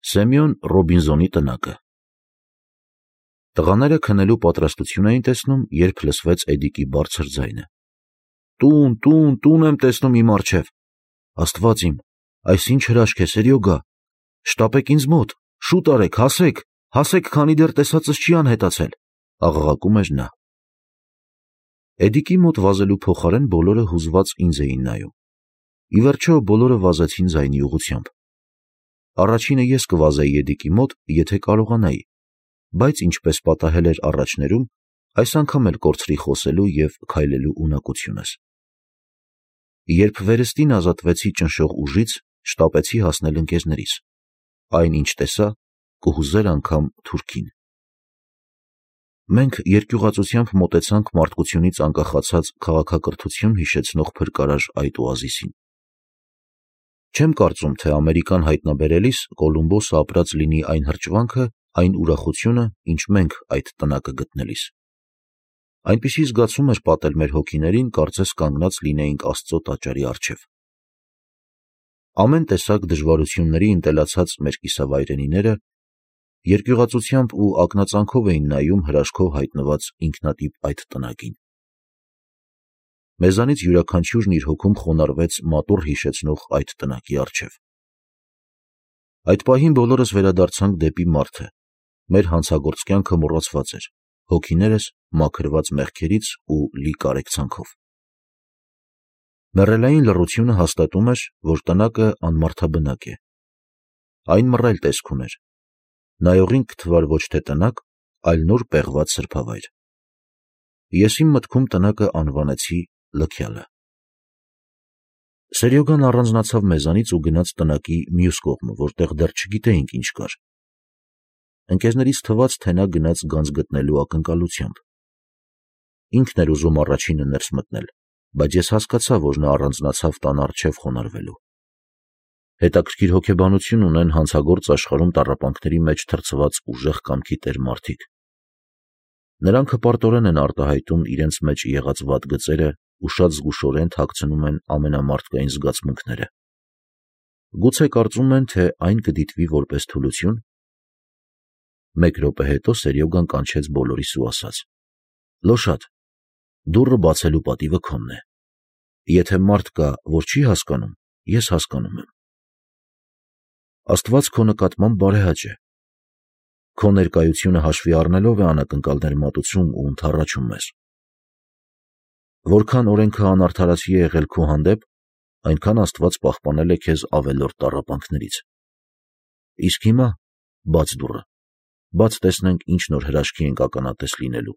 Սեմյոն Ռոբինզոնի տնակը։ Տղաները քնելու պատրաստություն էին տեսնում, երբ լսվեց Էդիկի բարձր ձայնը. Տուն եմ տեսնում իմ առջև։ Աստված իմ, այս ինչ հրաշք է, Սերյոգա։ Շտապեք ինձ մոտ, շուտ արեք, հասեք, քանի դեռ տեսածս չի անհետացել, աղաղակում էր նա։ Էդիկի մոտ վազելու փոխարեն բոլորը հուզված ինձ էին նայում։ Ի վերջո բոլորը վազեցին ձայնի ուղղությամբ։ Առաջինը ես կվազեի Էդիկի մոտ, եթե կարողանայի, բայց ինչպես պատահել էր առաջներում, այս անգամ էլ կորցրի խոսելու և քայլելու ունակությունս։ Երբ վերստին ազատվեցի ճնշող ուժից, շտապեցի հասնել ընկերներիս։ Այն ինչ տեսա, կհուզեր անգամ թուրքին։ Մենք երկյուղածությամբ մոտեցանք մարդկությունից անկախացած քաղաքակրթություն հիշեցնող փրկարար այդ օազիսին։ Չեմ կարծում, թե Ամերիկան հայտնաբերելիս Կոլումբոսը ապրած լինի այն հրճվանքը, այն ուրախությունը, ինչ մենք այդ տնակը գտնելիս։ Այնպիսի զգացում էր պատել մեր հոգիներին, կարծես կանգնած լինեինք Աստծո տաճարի առջև։ Ամեն տեսակ դժվարությունների ընտելացած մեր կիսավայրենիները երկյուղածությամբ ու ակնածանքով էին նայում հրաշքով հայտնված ինքնատիպ այդ տնակին։ Մեզանից յուրաքանչյուրն իր հոգում խոնարհվեց մատուռ հիշեցնող այդ տնակի առջև։ Այդ պահին բոլորս վերադարձանք դեպի մարդը, մեր հանցագործ կյանքը մոռացված էր, հոգիներս մաքրված մեղքերից ու լի կարեկցանքով։ Մեռելային լռությունը հաստատում էր, որ տնակը անմարդաբնակ է։ Այն մռայլ տեսք ուներ։ Նայողին կթվար ոչ թե տնակ, այլ նոր պեղված սրբավայր։ Ես իմ մտքում տնակը անվանեցի Լքյալը։ Սերյոգան առանձնացավ մեզանից ու գնաց տնակի մյուս կողմը, որտեղ դեռ չգիտեինք ինչ կար։ Ընկերներից թվաց, թե նա գնաց գանձ գտնելու ակնկալությամբ։ Ինքն էր ուզում առաջինը ներս մտնել, բայց ես հասկացա, որ նա առանձնացավ տան առջև խոնարհվելու։ Հետաքրքիր հոգեբանություն ունեն հանցագործ աշխարհում տառապանքների մեջ թրծված ուժեղ կամքի տեր մարդիկ։ Նրանք հպարտորեն են արտահայտում իրենց մեջ եղած վատ գծերը ու շատ զգուշորեն թաքցնում են ամենամարդկային զգացմունքները։ Գուցե կարծում են, թե այն կդիտվի որպես թուլություն։ Մեկ րոպե հետո Սերյոգան կանչեց բոլորիս ու ասաց. «Լոշատ, դուռը բացելու պատիվը քոնն է։ Եթե մարդ կա, որ չի հասկանում, ես հասկանում եմ։ Աստված քո նկատմամբ բարեհաճ է։ Քո ներկայությունը հաշվի առնելով է անակնկալներ մատուցում ու ընդառաջում մեզ։ Որքան օրենքը անարդարացի է եղել քո հանդեպ, այնքան Աստված պահպանել է քեզ ավելորդ տառապանքներից։ Իսկ հիմա բաց դուռը, բաց տեսնենք ինչ նոր հրաշքի ենք ականատես լինելու»։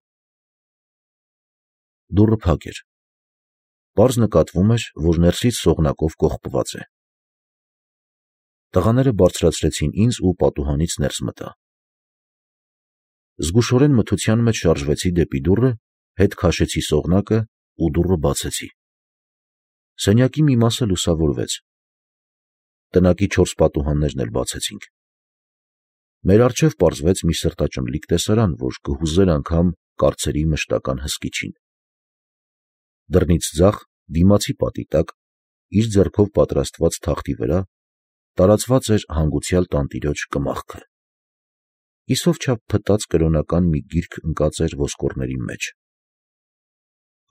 Դուռը փակ էր։ Պարզ նկատվում էր, որ ներսից սողնակով կողպված է։ Տղաները բարձրացրեցին ինձ ու պատուհանից ներս մտա։ Զգուշորեն մթության մեջ շարժվեցի դեպի դուռը, հետ քաշեցի սողնակը ու դուռը բացեցի։ Սենյակի մի մասը լուսավորվեց։ Տնակի 4 պատուհաններն էլ բացեցինք։ Մեր առջև պարզվեց մի սրտաճմլիկ տեսարան, որ կհուզեր անգամ կարծերի մշտական հսկիչին։ Դռնից ձախ, դիմացի պատի տակ, իր ձեռքով պատրաստված թախտի վրա տարածված էր հանգուցյալ տանտիրոջ կմախքը։ Իսով չափ փտած կրոնական մի գիրք ընկած էր ոսկորների մեջ։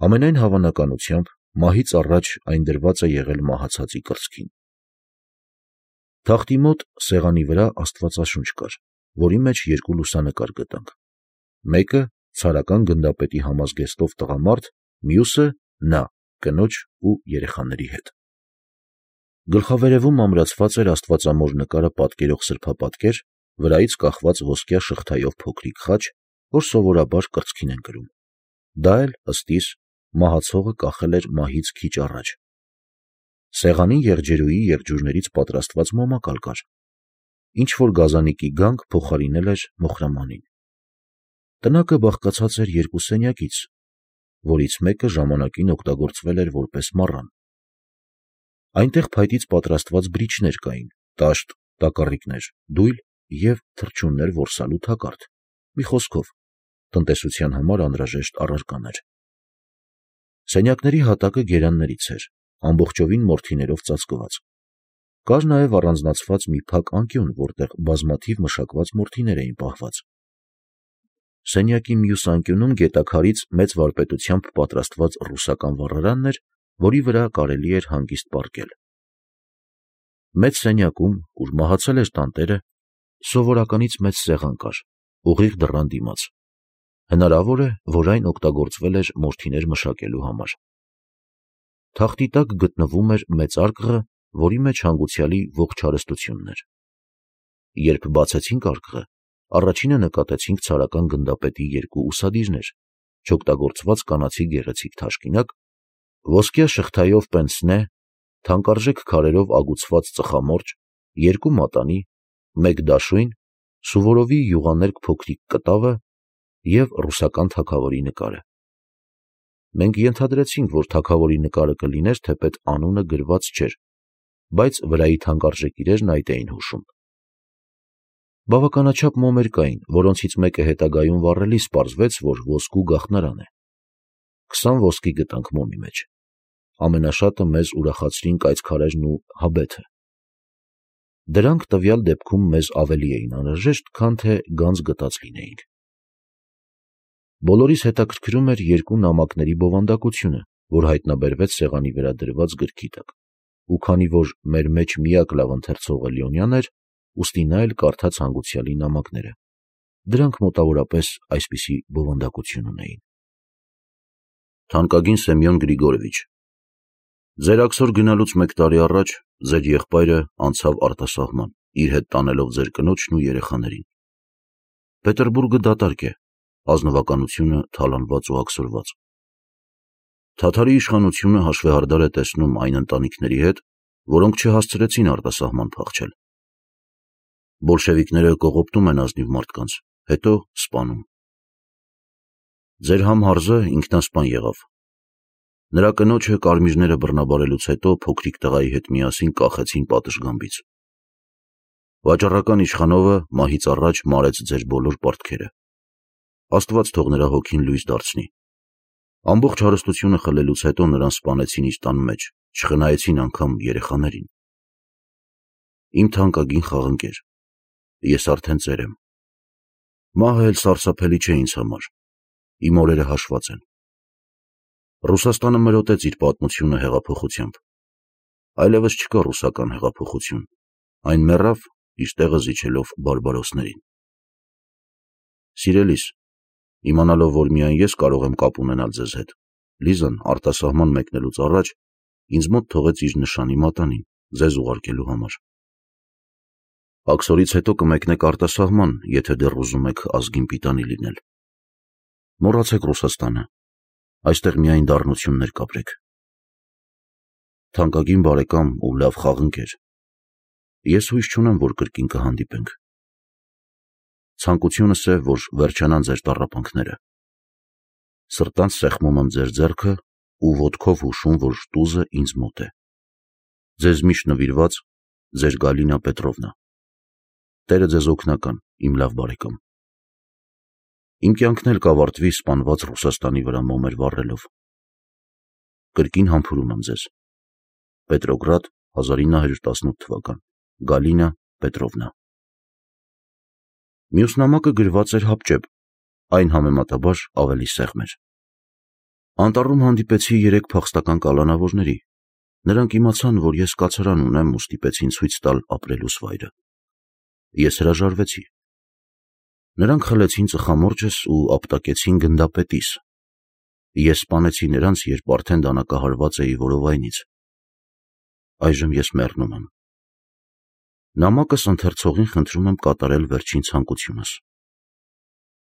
Ամենայն հավանականությամբ մահից առաջ այն դրված է եղել մահացածի կրծքին։ Թախտի մոտ սեղանի վրա աստվածաշունչ կար, որի մեջ 2 լուսանկար գտանք։ Մեկը ցարական գնդապետի համազգեստով տղամարդ, մյուսը նա, կնոջ ու երեխաների հետ։ Գլխավերևում ամրացված էր աստվածամոր նկարը պատկերող սրբապատկեր, վրայից կախված ոսկյա շղթայով փոքրիկ խաչ, որ սովորաբար կրծքին են կրում։ Դա էլ, ըստ իս, մահացողը կախել էր մահից քիչ առաջ։ Սեղանին եղջերուի եղջյուրներից պատրաստված մոմակալ կար։ Ինչ-որ գազանիկի գանք փոխարինել էր մոխրամանին։ Տնակը բաղկացած էր 2 սենյակից, որից մեկը ժամանակին օգտագործվել էր որպես մառան։ Այնտեղ փայտից պատրաստված բրիչներ կային, տաշտ, տակառիկներ, դույլ և թռչուններ որսալու թակարդ, մի խոսքով, տնտեսության համար անհրաժեշտ առարկաներ։ Սենյակների հատակը գերաններից էր, ամբողջովին մորթիներով ծածկված։ Կար նաև առանձնացված մի փակ անկյուն, որտեղ բազմաթիվ մշակված մորթիներ էին պահված։ Սենյակի մյուս անկյունում գետաքարից մեծ վարպետությամբ պատրաստված ռուսական վառարանն էր, որի վրա կարելի էր հանգիստ պառկել։ Մեծ սենյակում, ուր մահացել էր տանտերը, սովորականից մեծ սեղան կար, ուղիղ դռան դիմաց։ Հնարավոր է, որ այն օգտագործվել էր մորթիներ մշակելու համար։ Թախտի տակ գտնվում էր մեծ արկղը, որի մեջ հանգուցյալի ողջ հարստությունն էր։ Երբ բացեցինք արկղը, առաջինը նկատեցինք ցարական գնդապետի երկու ուսադիրներ, չօգտագործված կանացի գեղեցիկ թաշկինակ, ոսկյա շղթայով պենսնե, թանկարժեք քարերով ագուցված ծխամորճ, երկու մատանի, մեկ դաշույն, Սուվորովի յուղաներկ փոքրիկ կտավը և ռուսական թագավորի նկարը։ Մենք ենթադրեցինք, որ թագավորի նկարը կլիներ, թեպետ անունը գրված չէր, բայց վրայի թանկարժեք իրերն այդ էին հուշում։ Բավականաչափ մոմեր կային, որոնցից մեկը հետագայում վառելիս պարզվեց, որ ոսկու գաղտնարան է։ 20 ոսկի գտանք մոմի մեջ։ Ամենաշատը մեզ ուրախացրին կայծքարերն ու հաբեթը։ Դրանք տվյալ դեպքում մեզ ավելի էին անհրաժեշտ, քան թե գանձ գտած լինեինք։ Բոլորիս հետաքրքրում էր երկու նամակների բովանդակությունը, որ հայտնաբերվեց սեղանի վրա դրված գրքի տակ, ու քանի որ մեր մեջ միակ լավ ընթերցողը Լեոնյանն էր, ուստի նա էլ կարդաց հանգուցյալի նամակները։ Դրանք մոտավորապես այսպիսի բովանդակություն ունեին. Թանկագին Սեմյոն Գրիգորովիչ, ձեր աքսոր գնալուց 1 տարի առաջ ձեր եղբայրը անցավ արտասահման, իր հետ տանելով ձեր կնոջն ու երեխաներին։ Պետերբուրգը դատարկ է, ազնվականությունը թալանված ու աքսորված։ Թաթարի իշխանությունը հաշվեհարդար է տեսնում այն ընտանիքների հետ, որոնք չհասցրեցին արտասահման փախչել։ Բոլշևիկները կողոպտում են ազնիվ մարդկանց, հետո սպանում։ Ձեր համհարզը ինքնասպան եղավ։ Նրա կնոջը կարմիրները բռնաբարելուց հետո փոքրիկ տղայի հետ միասին կախեցին պատշգամբից։ Վաճառական իշխանովը մահից առաջ մարեց ձեր բոլոր պարտքերը։ Աստված թող նրա հոգին լույս դարձնի։ Ամբողջ հարստությունը խլելուց հետո նրան սպանեցին իր տան մեջ, չխնայեցին անգամ երեխաներին։ Իմ թանկագին խաղընկեր, ես արդեն ծեր եմ։ Մահը էլ սարսափելի չէ ինձ համար, իմ օրերը հաշված են։ Ռուսաստանը մրոտեց իր պատմությունը հեղափոխությամբ։ Այլևս չկա ռուսական հեղափոխություն, այն մեռավ, իր տեղը զիջելով բարբարոսներին։ Սիրելիս, իմանալով, որ միայն ես կարող եմ կապ ունենալ ձեզ հետ, Լիզան արտասահման մեկնելուց առաջ ինձ մոտ թողեց իր նշանի մատանին, ձեզ ուղարկելու համար։ Աքսորից հետո կմեկնեք արտասահման, եթե դեռ ուզում եք ազգին պիտանի լինել։ Մոռացեք Ռուսաստանը, այստեղ միայն դառնություններ կապրեք։ Թանկագին բարեկամ ու լավ խաղընկեր, ես հույս չունեմ, որ կրկին կհանդիպենք։ Ցանկությունս է, որ վերջանան ձեր տառապանքները։ Սրտանց սեղմում եմ ձեր ձեռքը ու ոտքով հուշում, որ տուզը ինձ մոտ է։ Ձեզ միշտ նվիրված, ձեր Գալինա Պետրովնա։ Տերը ձեզ օգնական, իմ լավ բարեկամ։ Իմ կյանքն էլ կավարտվի սպանված Ռուսաստանի վրա մոմեր վառելով։ Կրկին համբուրում եմ ձեզ։ Պետրոգրադ, 1918 թվական, Գալինա Պետրովնա։ Մյուս նամակը գրված էր հապճեպ, այն համեմատաբար ավելի սեղմ էր։ Անտառում հանդիպեցի 3 փախստական կալանավորների։ Նրանք իմացան, որ ես կացարան ունեմ ու ստիպեցին ցույց տալ ապրելուս վայրը։ Ես հրաժարվեցի։ Նրանք խլեցին ծխամորճս ու ապտակեցին գնդապետիս։ Ես սպանեցի նրանց, երբ արդեն դանակահարված էի որովայնից։ Այժմ ես մեռնում եմ։ Նամակս ընթերցողին խնդրում եմ կատարել վերջին ցանկությունս։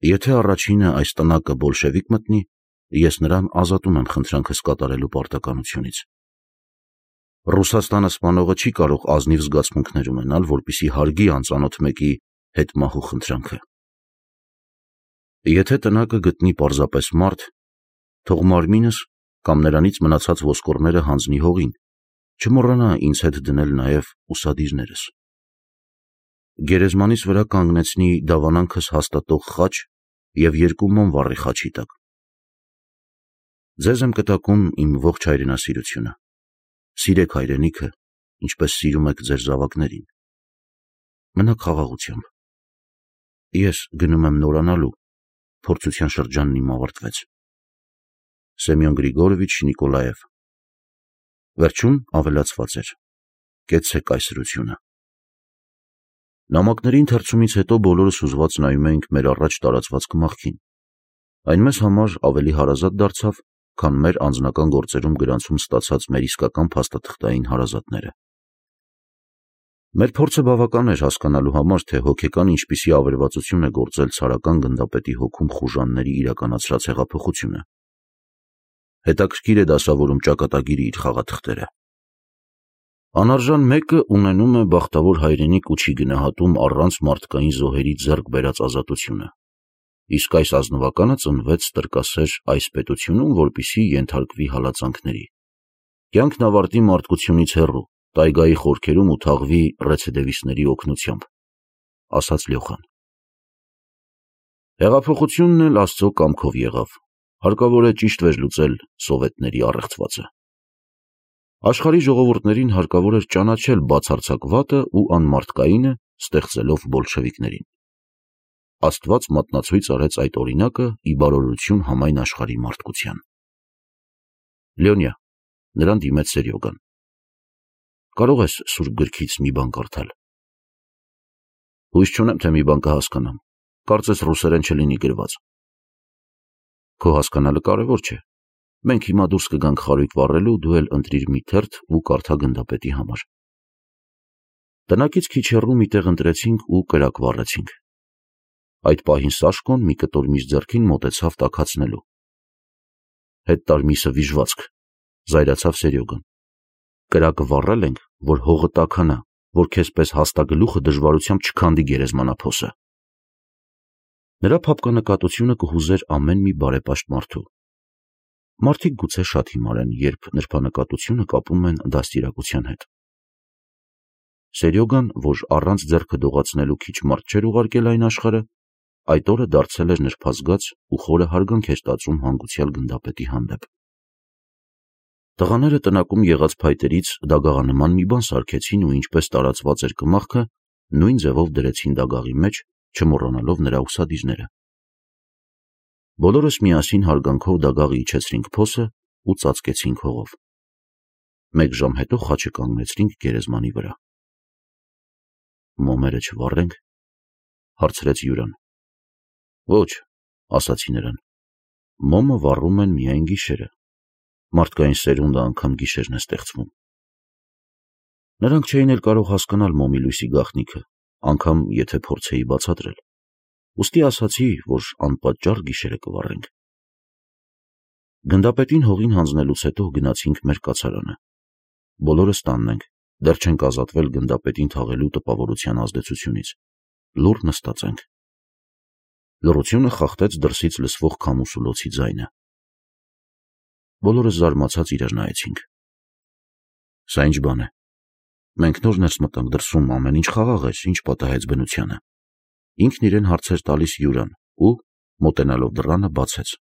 Եթե առաջինը այս տնակը բոլշևիկ մտնի, ես նրան ազատում եմ խնդրանքս կատարելու պարտականությունից։ Ռուսաստանը սպանողը չի կարող ազնիվ զգացմունքներ ունենալ, որպեսզի հարգի անծանոթ մեկի հետ մահու խնդրանքը։ Եթե տնակը գտնի պարզապես մարդ, թող մարմինս կամ նրանից մնացած ոսկորները հանձնի հողին, չմոռանա ինձ հետ դնել նաև ուսադիրներս։ Գերեզմանիս վրա կանգնեցնի դավանանքս հաստատող խաչ և 2 մոմ վառի խաչի տակ։ Ձեզ եմ կտակում իմ ողջ հայրենասիրությունը։ Սիրեք հայրենիքը ինչպես սիրում եք ձեր զավակներին։ Մնաք խաղաղությամբ։ Ես գնում եմ նորանալու, փորձության շրջանն իմ ավարտվեց։ Սեմյոն Գրիգորովիչ Նիկոլաև։ Վերջում ավելացված էր. կեցցե կայսրությունը։ Նամակների ընթերցումից հետո բոլորս հուզված նայում էինք մեր առաջ տարածված կմախքին։ Այն մեզ համար ավելի հարազատ դարձավ, քան մեր անձնական գործերում գրանցում ստացած մեր իսկական փաստաթղթային հարազատները։ Մեր փորձը բավական էր հասկանալու համար, թե հոգեկան ինչպիսի ավերվածություն է գործել ցարական գնդապետի հոգում խուժանների իրականացրած հեղափոխությունը։ Հետաքրքիր է դասավորում ճակատագիրը իր խաղաթղթերը։ Անարժան մեկը ունենում է բախտավոր հայրենիք ու չի գնահատում առանց մարդկային զոհերի ձեռք բերած ազատությունը, իսկ այս ազնվականը ծնվեց տրկասեր այս պետությունում, որպեսզի ենթարկվի հալածանքների, կյանքն ավարտի մարդկությունից հեռու, տայգայի խորքերում ու թաղվի ռեցիդիվիստների օգնությամբ, ասաց Լյոխան։ Հեղափոխությունն էլ Աստծո կամքով եղավ, հարկավոր է ճիշտ վերլուծել սովետների առեղծվածը։ Աշխարհի ժողովուրդներին հարկավոր էր ճանաչել բացարձակ վատը ու անմարդկայինը, ստեղծելով բոլշևիկներին։ Աստված մատնացույց արեց այդ օրինակը ի բարօրություն համայն աշխարհի մարդկության։ Լյոնյա, նրան դիմեց Սերյոգան։ Կարող ես սուրբ գրքից մի բան կարդալ։ Հույս չունեմ, թե մի բան կհասկանամ, կարծես ռուսերեն չլինի գրված։ Քո հասկանալը կարևոր չէ։ Մենք հիմա դուրս կգանք խարույկ վառելու, դու էլ ընտրիր մի թերթ ու կարդա գնդապետի համար։ Տնակից քիչ հեռու մի տեղ ընտրեցինք ու կրակ վառեցինք։ Այդ պահին Սաշկոն մի կտոր միս ձեռքին մոտեցավ տաքացնելու։ Հետ տար միսը վիժվածք, զայրացավ Սերյոգան։ Կրակը վառել ենք, որ հողը տաքանա, որ քեզպես հաստագլուխը դժվարությամբ չքանդի գերեզմանափոսը։ Նրա փափկանկատությունը կհուզեր ամեն մի բարեպաշտ մարդու։ Մարդիկ գուցե շատ հիմար են, երբ նրբանկատությունը կապում են դաստիարակության հետ։ Սերյոգան, որ առանց ձեռքը դողացնելու քիչ մարդ չէր ուղարկել այն աշխարհը, այդ օրը դարձել էր նրբազգաց ու խորը հարգանք էր տածում հանգուցյալ գնդապետի հանդեպ։ Տղաները տնակում եղած փայտերից դագաղանման մի բան սարքեցին ու ինչպես տարածված էր կմախքը, նույն ձևով դրեցին դագաղի մեջ, չմոռանալով նրա ուսադիրները։ Բոլորս միասին հարգանքով դագաղի իջեցրինք փոսը ու ծածկեցինք հողով։ Մեկ ժամ հետո խաչը կանգնեցրինք գերեզմանի վրա։ Մոմերը չվառենք, հարցրեց Յուրան։ Ոչ, ասացի նրան, մոմը վառում են միայն գիշերը, մարդկային սերունդը անգամ գիշերն է ստեղծվում։ Նրանք չէին էլ կարող հասկանալ մոմի լույսի գաղտնիքը, անգամ եթե փորձեի բացատրել, ուստի ասացի, որ անպատճառ գիշերը կվառենք։ Գնդապետին հողին հանձնելուց հետո գնացինք մեր կացարանը։ Բոլորս տանն ենք, դեռ չենք ազատվել գնդապետին թաղելու տպավորության ազդեցությունից, լուռ նստած ենք։ Լռությունը խախտեց դրսից լսվող քամուսուլոցի ձայնը։ Բոլորս զարմացած իրար նայեցինք։ Սա ինչ բան է։ Մենք նոր ներս մտանք դրսում, ամեն ինչ խաղաղ էր, ինչ պատահեց բնությանը։ Ինքն իրեն հարցեր տալիս Յուրան ու, մոտենալով դռանը, բացեց։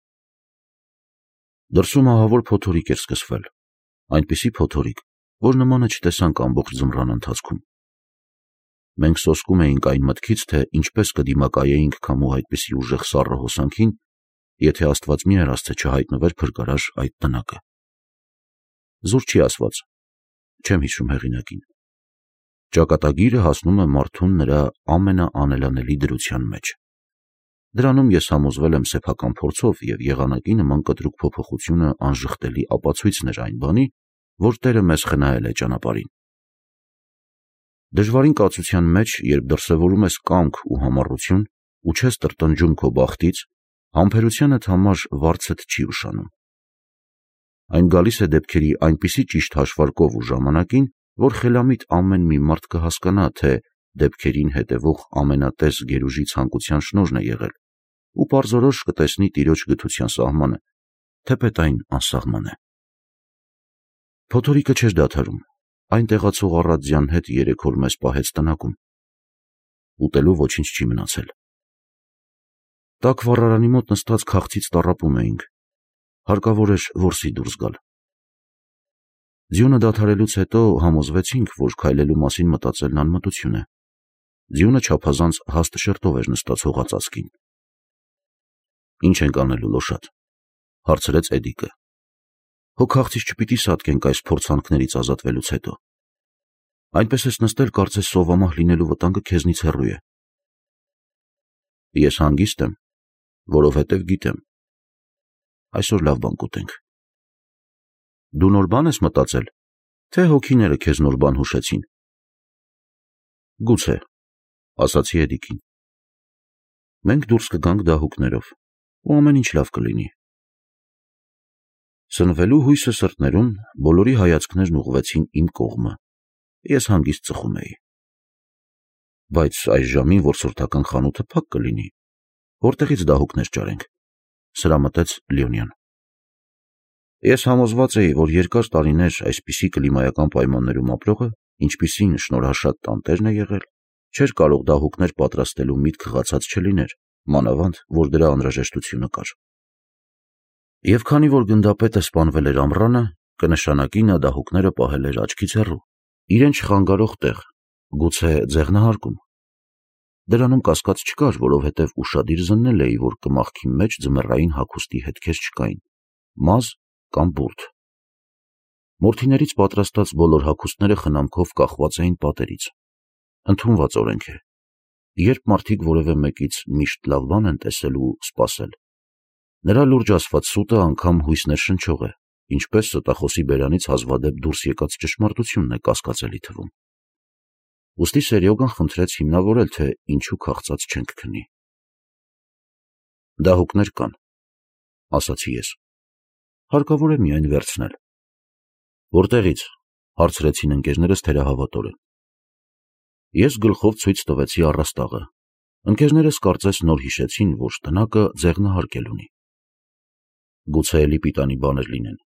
Դրսում ահավոր փոթորիկ էր սկսվել, այնպիսի փոթորիկ, որ նմանը չտեսանք ամբողջ ձմռան ընթացքում։ Մենք սոսկում էինք այն մտքից, թե ինչպես կդիմակայեինք քամու այդպիսի ուժեղ սառը հոսանքին, եթե Աստված մի հեռացե չհայտնվեր փրկարար այդ տնակը։ Զուր չի ասված, չեմ հիշում հեղինակին։ Ճակատագիրը հասնում է մարդուն նրա ամենաանելանելի դրության մեջ։ Դրանում ես համոզվել եմ սեփական փորձով և եղանակի նման կտրուկ փոփոխությունը անժխտելի ապացույցն էր այն բանի, որ Տերը մեզ խնայել է ճանապարհին։ Դժվարին կացության մեջ, երբ դրսևորում ես կամք ու համառություն ու չես տրտնջում քո բախտից, համբերությանդ համար վարձդ չի ուշանում։ Այն գալիս է դեպքերի այնպիսի ճիշտ հաշվարկով ու ժամանակին, որ խելամիտ ամեն մի մարդ կհասկանա, թե դեպքերին հետևող ամենատես գերուժի ցանկության շնորհն է եղել ու պարզորոշ կտեսնի տիրոջ գթության սահմանը, թեպետ այն անսահման է։ Փոթորիկը չէր դադարում, այն տեղացող առածյան հետ 3 օր մեզ պահեց տնակում։ Ուտելու ոչինչ չի մնացել։ Տաք վառարանի մոտ նստած քաղցից տառապում էինք, հարկավոր էր որսի դուրս գալ։ Ձյունը դադարելուց հետո համոզվեցինք, որ քայլելու մասին մտածելն անմտություն է։ Ձյունը չափազանց հաստ շերտով էր նստած հողածածկին։ Ինչ ենք անելու, Լոշատ, հարցրեց Էդիկը։ Հո քաղցից չպիտի սատկենք այս փորձանքներից ազատվելուց հետո։ Այնպես ես նստել, կարծես սովամահ լինելու վտանգը քեզնից հեռու է։ Ես հանգիստ եմ, որովհետև գիտեմ։ Այսօր լավ բան կուտենք։ Դու նոր բան ես մտածել, թե հոգիները քեզ նոր բան հուշեցին։ Գուցե, ասացի Էդիկին։ Մենք դուրս կգանք դահուկներով, ու ամեն ինչ լավ կլինի։ Սնվելու հույսը սրտներում բոլորի հայացքներն ուղղվեցին իմ կողմը։ Ես հանգիստ ծխում էի։ Բայց այս ժամին որսորդական խանութը փակ կլինի, որտեղից դահուկներ ճարենք, սրամտեց Լեոնյան։ Ես համոզված էի, որ երկար տարիներ այսպիսի կլիմայական պայմաններում ապրողը, ինչպիսին շնորհաշատ տանտերն է եղել, չէր կարող դահուկներ պատրաստելու միտք խղացած չլիներ, մանավանդ, որ դրա անհրաժեշտությունը կար։ Եվ քանի որ գնդապետը սպանվել էր ամռանը, կնշանակի նա դահուկները պահել էր աչքից հեռու, իրեն չխանգարող տեղ, գուցե ձեղնահարկում։ Դրանում կասկած չկար, որովհետև ուշադիր զննել էի, որ կմախքի մեջ ձմեռային հագուստի հետքեր չկային, մազ կամ բուրդ։ Մորթիներից պատրաստած բոլոր հագուստները խնամքով կախված էին պատերից։ Ընդունված օրենք է։ Երբ մարդիկ որևէ մեկից միշտ լավ բան են տեսել ու սպասել, նրա լուրջ ասված սուտը անգամ հույսներ շնչող է, ինչպես ստախոսի բերանից հազվադեպ դուրս եկած ճշմարտությունն է կասկածելի թվում։ Ուստի Սերյոգան խնդրեց հիմնավորել, թե ինչու քաղցած չենք քնի։ Դահուկներ կան, ասացի ես։ Հարկավոր է միայն վերցնել։ Որտեղից, հարցրեցին ընկերներս թերահավատորեն։ Ես գլխով ցույց տվեցի առաստաղը։ Ընկերներս կարծես նոր հիշեցին, որ տնակը ձեղնահարկել ունի։ Գուցե էլի պիտանի բաներ լինեն,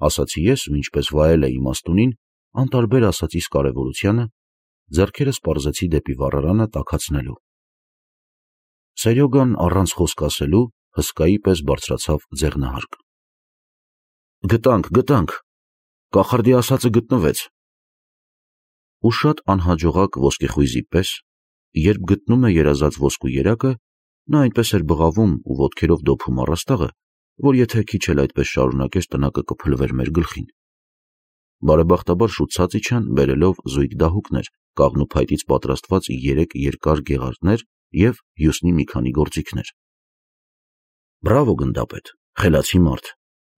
ասացի ես, ու ինչպես վայել էի իմաստունին, անտարբեր ասածիս կարևորությանը, ձեռքերս պարզեցի դեպի վառարանը տաքացնելու։ Սերյոգան առանց խոսք ասելու հսկայի պես բարձրացավ ձեղնահարկ։ Գտանք, կախարդի ասածը գտնվեց։ Ու շատ անհաջողակ ոսկեխույզի պես, երբ գտնում է երազած ոսկու երակը, նա այնպես էր բղավում ու ոտքերով դոփում առաստաղը, որ եթե քիչ էլ այդպես շարունակեր, տնակը կփլվեր մեր գլխին։ Բարեբախտաբար շուտ ցած իջան, բերելով զույգ դահուկներ, կաղնու փայտից պատրաստված 3 երկար գեղարդներ և հյուսնի մի քանի գործիքներ։ Բրավո գնդապետ, խելացի մարդ։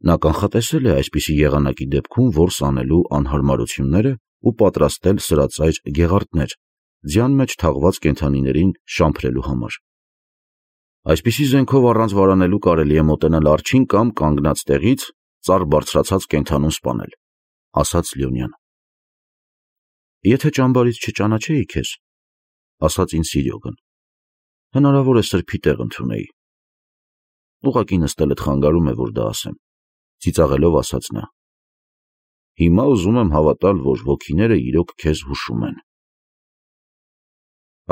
Նա կանխատեսել է այսպիսի եղանակի դեպքում որս անելու անհարմարությունները ու պատրաստել սրածայր գեղարդներ, ձյան մեջ թաղված կենդանիներին շամփրելու համար։ Այսպիսի զենքով առանց վարանելու կարելի է մոտենալ արջին կամ կանգնած տեղից ծառ բարձրացած կենդանուն սպանել, ասաց Լեոնյանը։ Եթե ճամբարից չճանաչեի քեզ, ասաց ինձ Սիրյոգն, հնարավոր է սրբի տեղ ընդունեի։ Ուղղակի նստելդ խանգարում է, որ դա ասեմ, ծիծաղելով ասաց նա։ Հիմա ուզում եմ հավատալ, որ հոգիները իրոք քեզ հուշում են։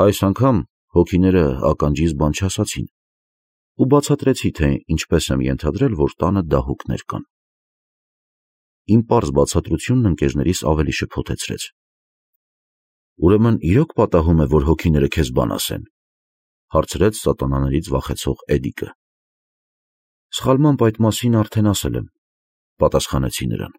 Այս անգամ հոգիները ականջիս բան չասացին ու բացատրեցի, թե ինչպես եմ ենթադրել, որ տանը դահուկներ կան։ Իմ պարզ բացատրությունն ընկերներիս ավելի շփոթեցրեց։ Ուրեմն իրոք պատահում է, որ հոգիները քեզ բան ասեն, հարցրեց սատանաներից վախեցող Էդիկը։ Սխալմամբ այդ մասին արդեն ասել եմ, պատասխանեցի նրան։